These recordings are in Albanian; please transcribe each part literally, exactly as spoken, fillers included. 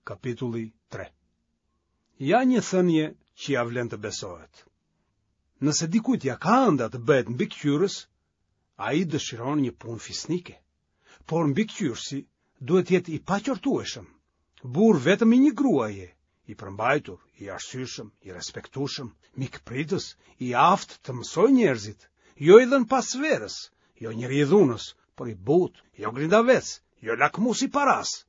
Kapitulli tre. Ja një thënie që ia vlen të besohet. Nëse dikujt ia ka ënda të bëhet mbikëqyrës, ai dëshiron një punë fisnike. Por mbikëqyrësi duhet të jetë i paqortueshëm, burrë vetëm i një gruaje, i përmbajtur, i arsyeshëm, i respektueshëm, mikpritës, i aftë të mësojë njerëzit, jo i dhënë pas verës, jo njeri i dhunës, por i butë, jo grindavec, jo lakmues i parasë.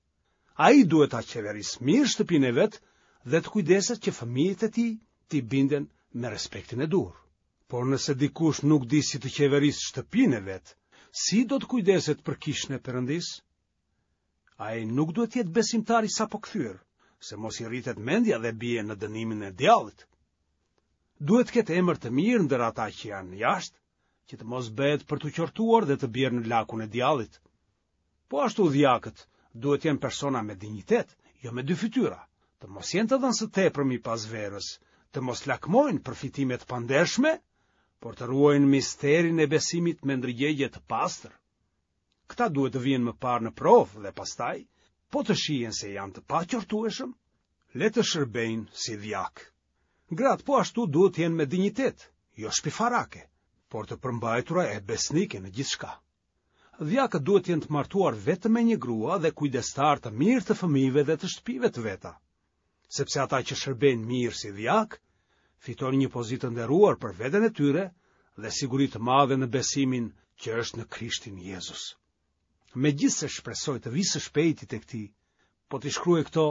Ai duhet ta qeverisë mirë shtëpinë e vet dhe të kujdeset që fëmijët e tij t'i binden me respektin e duhur. Por nëse dikush nuk di si të qeverisë shtëpinë e vet, si do të kujdeset për kishën e Perëndisë? Ai nuk duhet të jetë besimtar i sapokthyer, se mos i rritet mendja dhe bie në dënimin e djallit. Duhet të ketë emër të mirë ndër ata që janë jashtë, që të mos bëhet për t'u qortuar dhe të bjerë në lakun e djallit. Po ashtu dhjakët duhet të jenë persona me dinjitet, jo me dy fytyra, të mos jenë të dhënë së tepërmi pas verës, të mos lakmojnë përfitime të pandershme, por të ruajnë misterin e besimit me ndërgjegje të pastër. Këta duhet të vihen më parë në provë dhe pastaj, po të shihen se janë të paqortueshëm, le të shërbejnë si dhjakë. Gratë po ashtu duhet të jenë me dinjitet, jo shpifarake, por të përmbajtura e besnike në gjithçka. Dhjakët duhet të jenë të martuar vetëm me një grua dhe kujdestarë të mirë të fëmijëve dhe të shtëpive të veta, sepse ata që shërbejnë mirë si dhjakë, fitojnë një pozitë të nderuar për veten e tyre dhe siguri të madhe në besimin që është në Krishtin Jezus. Megjithëse shpresoj të vi së shpejti tek ti, po t'i shkruaj këto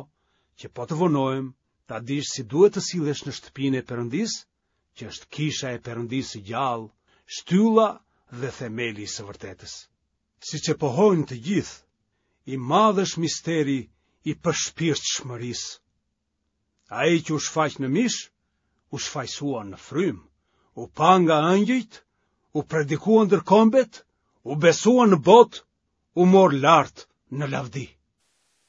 që po të vonohem, ta dish si duhet të sillesh në shtëpinë e Perëndisë, që është kisha e Perëndisë së gjallë, shtylla dhe themeli i së vërtetës. Siç e pohojnë të gjithë, i madh është misteri i përshpirtshmërisë. Ai që u shfaq në mish, u shfajsua në frymë, u pa nga ëngjëjt, u predikua ndër kombet, u besua në botë, u mor lart në lavdi.